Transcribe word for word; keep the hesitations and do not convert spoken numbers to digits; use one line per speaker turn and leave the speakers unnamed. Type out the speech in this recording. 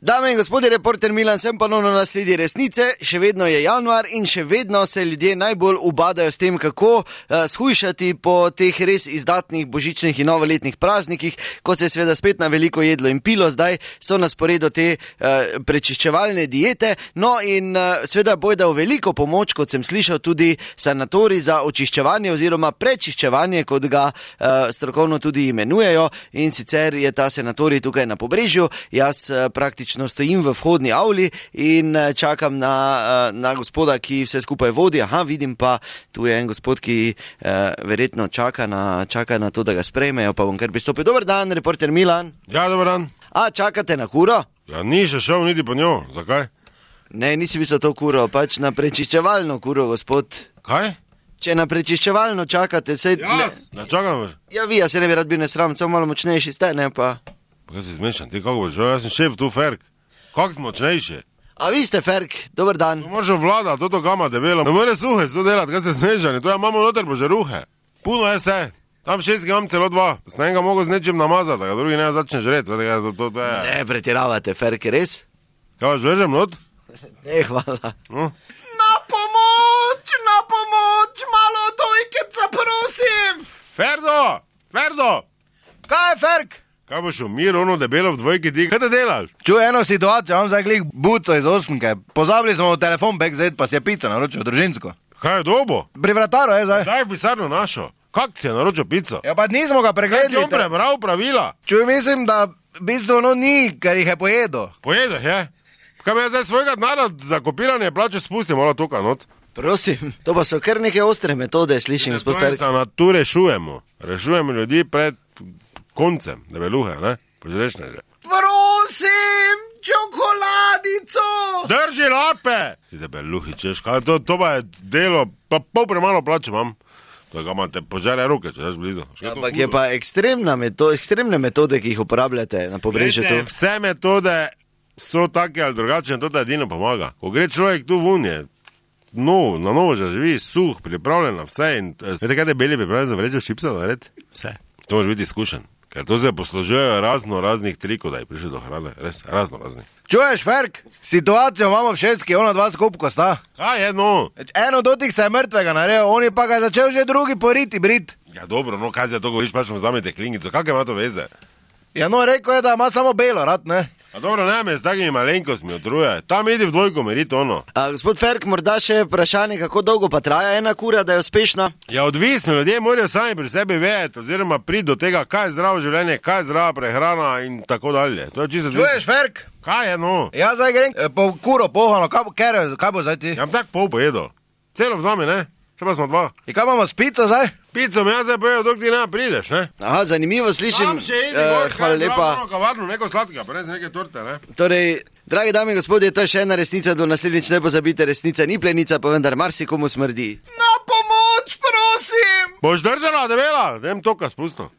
Dame in gospodje, reporter Milan, sem ponovno na sledi resnice. Še vedno je januar in še vedno se ljudje najbolj ubadajo s tem, kako uh, shujšati po teh res izdatnih božičnih in novoletnih praznikih, ko se je seveda spet na veliko jedlo in pilo. Zdaj so na sporedu te uh, prečiščevalne diete. No in uh, seveda bojda v veliko pomoč, kot sem slišal, tudi sanatorij za očiščevanje oziroma prečiščevanje, kot ga uh, strokovno tudi imenujejo. In sicer je ta sanatorij tukaj na Pobrežju. Jaz uh, praktično stojim v vhodni avli in čakam na, na gospoda, ki vse skupaj vodi. Aha, vidim pa, tu je en gospod, ki eh, verjetno čaka na, čaka na to, da ga sprejmejo, pa bom kar pristopil. Dober dan, reporter Milan.
Ja, dober dan.
A, čakate na kuro?
Ja, ni še šel niti po njo. Zakaj?
Ne, nisi mislil to kuro, pač na prečiščevalno kuro, gospod.
Kaj?
Če na prečiščevalno čakate, sej...
Jaz, ne čakam.
Ja, vi, ja se ne bi rad bil nesram, samo malo močnejši ste, ne pa...
Kaj si zmešan, ti kako boš, jaz sem šef tu, Ferk. Kako si močnejši?
A vi ste Ferk, dober dan.
To moraš vlada, toto gama debelo. Ne more suhe to delati, kaj ste zmešani, to ja imamo noter bože ruhe. Puno je vse. Tam šest imam celo dva. S enega mogo z nečim namazati, da ga drugi ne začne žreti. To, to, to je...
Ne, pretiravate, Ferk, res?
Kaj vas vežem not?
Ne, hvala.
No?
Na pomoč, na pomoč, malo dojkeca, prosim.
Ferdo, Ferdo.
Kaj je, Ferk?
Kaj boš umir, ono debelo v dvojki ti, kaj te delaš?
Čuj eno situacijo, imam zdaj glih buco iz osmke. Pozabili smo v telefon backstage, pa si je pico naročil, družinsko.
Kaj je dobo?
Pri vrataru je zdaj.
Daj v pisarno našo. Kak si je naročil pico?
Ja pa nismo ga
Kaj
pregledali.
si on prebral pravila?
Čuj, mislim, da v bistvu ono ni, ker jih je pojedo.
Pojedeš, je? Kaj bi jaz zdaj svojega denarja za kopiranje plače spustil, mola tukaj not?
Prosim, to pa so kar neke ostre metode, slišim, gospod Ferk.
Na tu rešujemo. Rešujemo ljudi pred koncem debeluhe, ne? Poželešne že.
Prosim, čokoladico!
Drži lape! Si debeluhi, češ, kaj to, to pa je delo, pa pol premalo plače imam. To je, ga imate požele ruke, če daš blizu.
Ampak je pa ekstremna meto, ekstremne metode, ki jih uporabljate na Pobrežju tu.
Vse metode so take ali drugačne, to da edino pomaga. Ko gre človek tu vun je, no, na novo že živi, suh, pripravljen na vse in, veste kaj debeli pripravljen za vrečo čipsa, nared? Vse. To može biti izkušen. Ker to se poslužujejo razno raznih trikov, da je prišli do hrane. Res, razno raznih.
Čuješ, Ferk? Situacijo imamo v šestki, ona dva skupko sta.
Kaj je, no?
Eno dotik se je mrtvega naredil, on je pa ga začel že drugi poriti, brit.
Ja dobro, no kaj se to govoriš, pač mu vzamete klingico, kakaj ima to veze?
Ja no, rekel je, da ima samo belo rad, ne?
A dobro, ne, me s takimi malenkostmi otruje. Tam idi v dvojko meriti ono.
A, gospod Ferk, morda še vprašanje, kako dolgo pa traja ena kura, da je uspešna?
Ja, odvisno, ljudje morajo sami pri sebi vedeti, oziroma priti do tega, kaj je zdravo življenje, kaj je zdrava prehrana in tako dalje. To je čisto odvisno.
Čuješ, Ferk?
Kaj je, no?
Ja, zdaj grem eh, po kuro pohano, kaj, bo- ker, kaj bo zdaj ti?
Ja, tak pol pojedo. Celo vzami, ne? Še pa smo dva.
In kaj imamo s pico zdaj?
Pico mi jaz zdaj pojedo, dok ti ne prideš, ne?
Aha, zanimivo slišim.
Tam še idi,
Eh,
gor,
hvala lepa.
Zdravo, kavarno, neko sladkega, pa res neke torte, ne?
Torej, dragi dame in gospodje, to je še ena resnica, do naslednjič ne pozabite, resnica ni plenica, pa vendar marsikomu smrdi. Na pomoč, prosim!
Boš držala, debela? Dem toka spustil.